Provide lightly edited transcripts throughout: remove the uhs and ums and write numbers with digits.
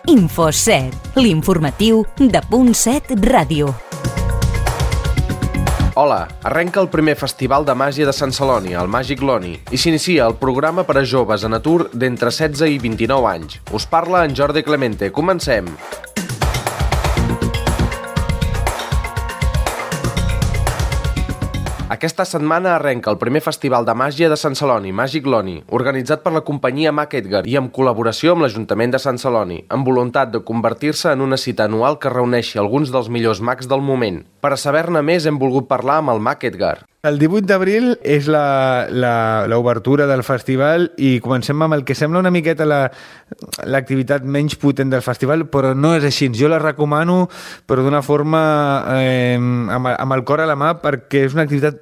Info7, l'informatiu de Punt7 Ràdio. Hola, arrenca el primer festival de màgia de Sant Celoni, el Màgic Loni, i s'inicia el programa per a joves en atur d'entre 16 i 29 anys. Us parla en Jordi Clemente. Comencem! Aquesta setmana arrenca el primer festival de màgia de Sant Celoni, Màgic Loni, organitzat per la companyia Mag Edgar i en col·laboració amb l'Ajuntament de Sant Celoni, amb voluntat de convertir-se en una cita anual que reuneixi alguns dels millors mags del moment. Per a saber-ne més hem volgut parlar amb el Mag Edgar. El 18 d'abril és l'obertura del festival i comencem amb el que sembla una miqueta l'activitat menys potent del festival, però no és així. Jo la recomano, però d'una forma amb el cor a la mà, perquè és una activitat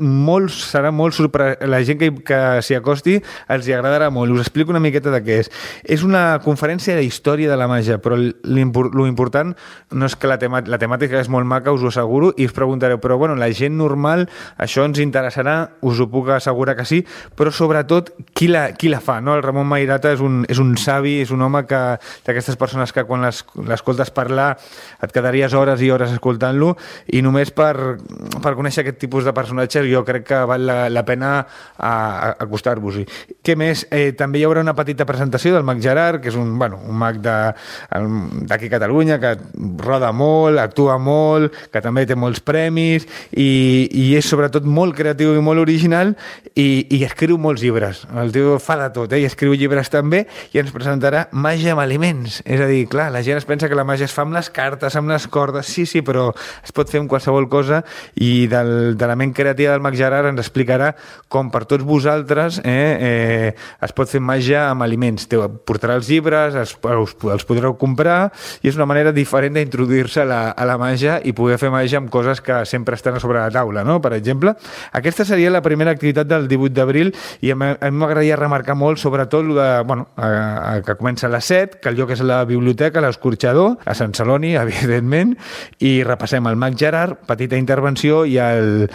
serà molt sorprenent. La gent que s'hi acosti els hi agradarà molt. Us explico una miqueta de què és. És una conferència d'història de la màgia, però l'important no és que la temàtica és molt maca, us ho asseguro, i us preguntareu, però bueno, la gent normal, això ens interessarà, us ho puc assegurar que sí, però sobretot qui la fa, no? El Ramon Mairata és un savi, és un home d'aquestes persones que quan l'escoltes parlar et quedaries hores i hores escoltant-lo, i només per conèixer aquest tipus de personatges jo crec que val la pena acostar-vos-hi. Què més? També hi haurà una petita presentació del Mag Gerard, que és un mag d'aquí a Catalunya, que roda molt, actua molt, que també té molts premis i és sobretot molt creatiu i molt original i escriu molts llibres. El tio fa de tot, i escriu llibres també, i ens presentarà màgia amb aliments. És a dir, clar, la gent es pensa que la màgia es fa amb les cartes, amb les cordes, sí, però es pot fer amb qualsevol cosa, i de la ment creativa del Mag Gerard ens explicarà com per tots vosaltres es pot fer màgia amb aliments. Portarà els llibres, els podreu comprar, i és una manera diferent d'introduir-se a la màgia i poder fer màgia amb coses que sempre estan a sobre la taula, no? Per exemple, aquesta seria la primera activitat del 18 d'abril, i a mi m'agradaria remarcar molt sobretot que comença a les 7, que el lloc és la biblioteca, l'Escorxador, a Sant Celoni, evidentment, i repassem el Mag Gerard, petita intervenció, i el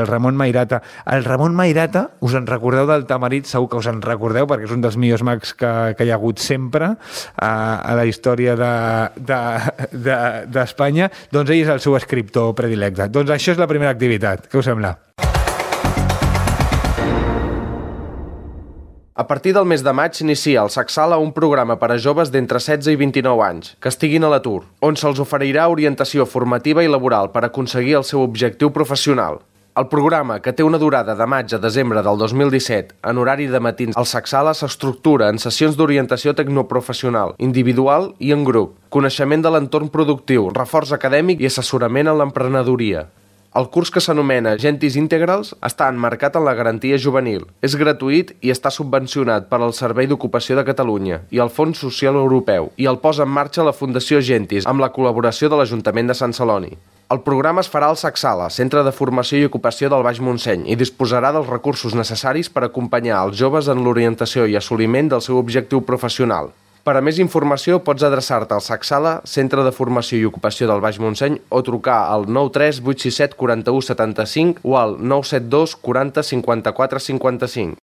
Ramon Mairata. El Ramon Mairata, us en recordeu del Tamarit? Segur que us en recordeu, perquè és un dels millors mags que hi ha hagut sempre a la història d'Espanya. Doncs ell és el seu escriptor predilecte. Doncs això és la primera activitat. Què us sembla? A partir del mes de maig s'inicia al Sacsala un programa per a joves d'entre 16 i 29 anys que estiguin a l'atur, on se'ls oferirà orientació formativa i laboral per aconseguir el seu objectiu professional. El programa, que té una durada de maig a desembre del 2017, en horari de matins al Sacsala, s'estructura en sessions d'orientació tecnoprofessional, individual i en grup, coneixement de l'entorn productiu, reforç acadèmic i assessorament en l'emprenedoria. El curs, que s'anomena Gentis Integrals, està emmarcat en la garantia juvenil. És gratuït i està subvencionat per al Servei d'Ocupació de Catalunya i el Fons Social Europeu, i el posa en marxa la Fundació Gentis amb la col·laboració de l'Ajuntament de Sant Celoni. El programa es farà al Sacsala, Centre de Formació i Ocupació del Baix Montseny, i disposarà dels recursos necessaris per acompanyar els joves en l'orientació i assoliment del seu objectiu professional. Per a més informació pots adreçar-te al Sacsala, Centre de Formació i Ocupació del Baix Montseny, o trucar al 93 867 41 75 o al 972 40 54 55.